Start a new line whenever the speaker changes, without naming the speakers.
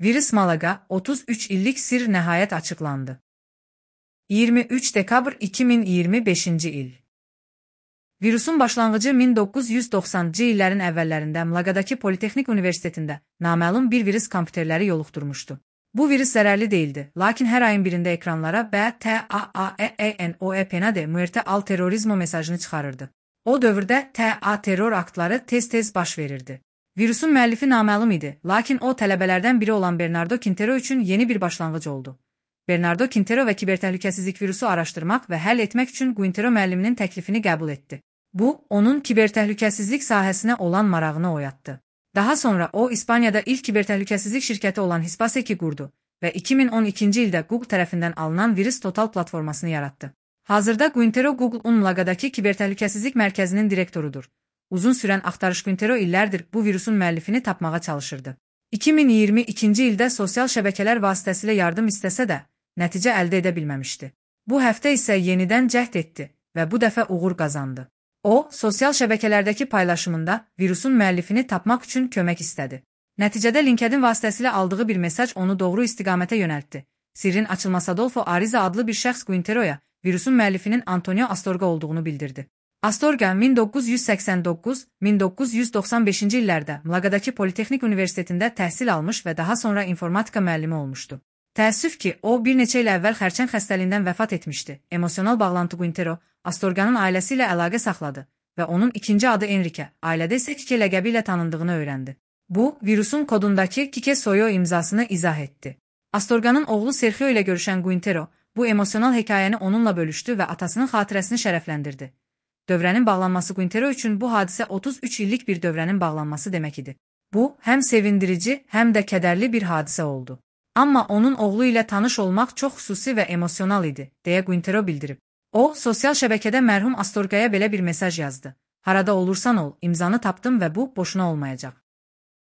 Virüs Malaga, 33 illik sir nəhayət açıqlandı. 23 dekabr 2025 il. Virusun başlanğıcı 1990-cı illərin əvvəllərində Malagadakı Politexnik Universitetində naməlum bir virus kompüterləri yoluxdurmuşdu. Bu virus zərərli değildi, lakin hər ayın birində ekranlara BTAAENOE muerte al terrorismo mesajını çıxarırdı. O dövrdə TA terror aktları tez-tez baş verirdi. Virusun müəllifi naməlum idi, lakin o tələbələrdən biri olan Bernardo Quintero üçün yeni bir başlanğıc oldu. Bernardo Quintero və kibertəhlükəsizlik virusu araşdırmaq və həll etmək üçün Quintero müəlliminin təklifini qəbul etdi. Bu, onun kibertəhlükəsizlik sahəsinə olan marağını oyatdı. Daha sonra o, İspaniyada ilk kibertəhlükəsizlik şirkəti olan Hispaseki qurdu və 2012-ci ildə Google tərəfindən alınan Virus Total platformasını yaratdı. Hazırda Quintero Google-un Malagadakı kibertəhlükəsizlik mərkəzinin direktorudur. Uzun sürən axtarış Quintero illərdir bu virusun müəllifini tapmağa çalışırdı. 2022-ci ildə sosial şəbəkələr vasitəsilə yardım istəsə də, nəticə əldə edə bilməmişdi. Bu həftə isə yenidən cəhd etdi və bu dəfə uğur qazandı. O, sosial şəbəkələrdəki paylaşımında virusun müəllifini tapmaq üçün kömək istədi. Nəticədə LinkedIn vasitəsilə aldığı bir mesaj onu doğru istiqamətə yönəltdi. Sirrin açılması Adolfo Ariza adlı bir şəxs Quintero'ya virusun müəllifinin Antonio Astorga olduğunu bildirdi. Astorga 1989-1995-ci illərdə Malagadakı Politexnik Universitetində təhsil almış və daha sonra informatika müəllimi olmuşdu. Təəssüf ki, o bir neçə il əvvəl xərçəng xəstəliyindən vəfat etmişdi. Emosional bağlantı Quintero, Astorganın ailəsi ilə əlaqə saxladı və onun ikinci adı Enrique, ailədə isə Kike ləqəbi ilə tanındığını öyrəndi. Bu, virusun kodundakı Kike Soyo imzasını izah etdi. Astorganın oğlu Sergio ilə görüşən Quintero, bu emosional hekayəni onunla bölüşdü və atasının xatirəsini şərəfləndirdi. Dövrənin bağlanması Quintero üçün bu hadisə 33 illik bir dövrənin bağlanması demək idi. Bu, həm sevindirici, həm də kədərli bir hadisə oldu. Amma onun oğlu ilə tanış olmaq çox xüsusi və emosional idi, deyə Quintero bildirib. O, sosial şəbəkədə mərhum Astorgaya belə bir mesaj yazdı. Harada olursan ol, imzanı tapdım və bu boşuna olmayacaq.